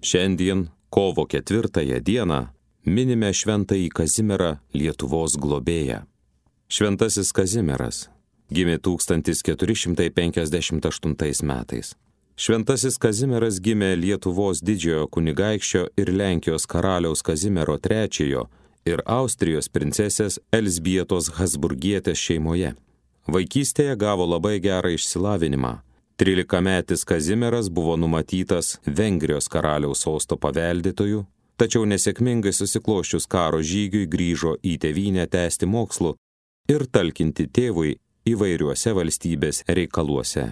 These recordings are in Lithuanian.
Šiandien, kovo 4 dieną, minime šventąjį Kazimierą, Lietuvos globėją. Šventasis Kazimieras gimė 1458 metais. Šventasis Kazimieras gimė Lietuvos didžiojo kunigaikščio ir Lenkijos karaliaus Kazimiero III ir Austrijos princesės Elzbietos Habsburgietės šeimoje. Vaikystėje gavo labai gerą išsilavinimą. 13-metis Kazimieras buvo numatytas Vengrijos karaliaus sosto paveldėtoju, tačiau nesėkmingai susiklosčius karo žygiui grįžo į tėvynę tęsti mokslų ir talkinti tėvui įvairiuose valstybės reikaluose.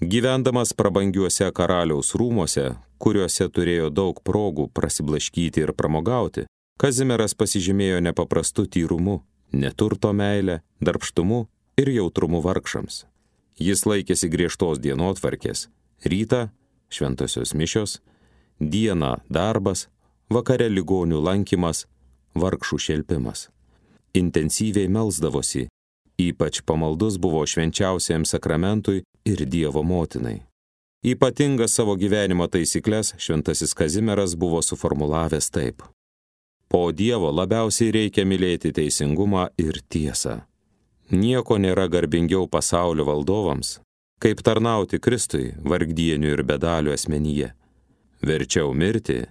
Gyvendamas prabangiuose karaliaus rūmuose, kuriuose turėjo daug progų prasiblaškyti ir pramogauti, Kazimieras pasižymėjo nepaprastu tyrumu, neturto meile, darbštumu ir jautrumu vargšams. Jis laikėsi griežtos dienotvarkės: rytą šventosios mišios, dieną darbas, vakare ligonių lankymas, vargšų šelpimas. Intensyviai melsdavosi, ypač pamaldus buvo švenčiausiajam sakramentui ir Dievo motinai. Ypatingas savo gyvenimo taisykles šventasis Kazimieras buvo suformulavęs taip: po Dievo labiausiai reikia mylėti teisingumą ir tiesą. Nieko nėra garbingiau pasaulio valdovams, kaip tarnauti Kristui vargdienių ir bedalių asmenyje. Verčiau mirti,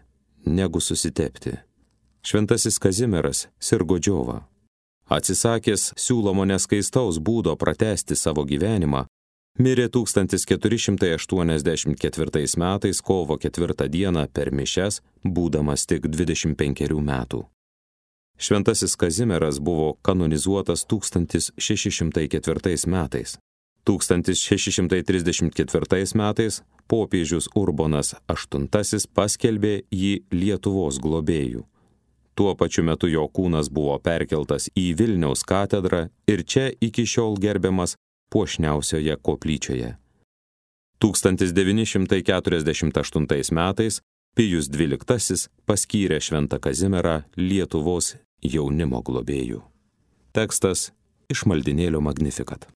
negu susitepti. Šventasis Kazimieras sirgo džiova. Atsisakęs siūlomo neskaistaus būdo pratęsti savo gyvenimą, mirė 1484 metais kovo 4 dieną per mišias, būdamas tik 25 metų. Šventasis Kazimieras buvo kanonizuotas 1604 metais. 1634 metais popiežius Urbonas VIII paskelbė jį Lietuvos globėju. Tuo pačiu metu jo kūnas buvo perkeltas į Vilniaus katedrą ir čia iki šiol gerbiamas puošniausioje koplyčioje. 1948 metais Pijus XII paskyrė šventą Kazimierą Lietuvos jaunimo globėju. Tekstas iš maldynėlio Magnificat.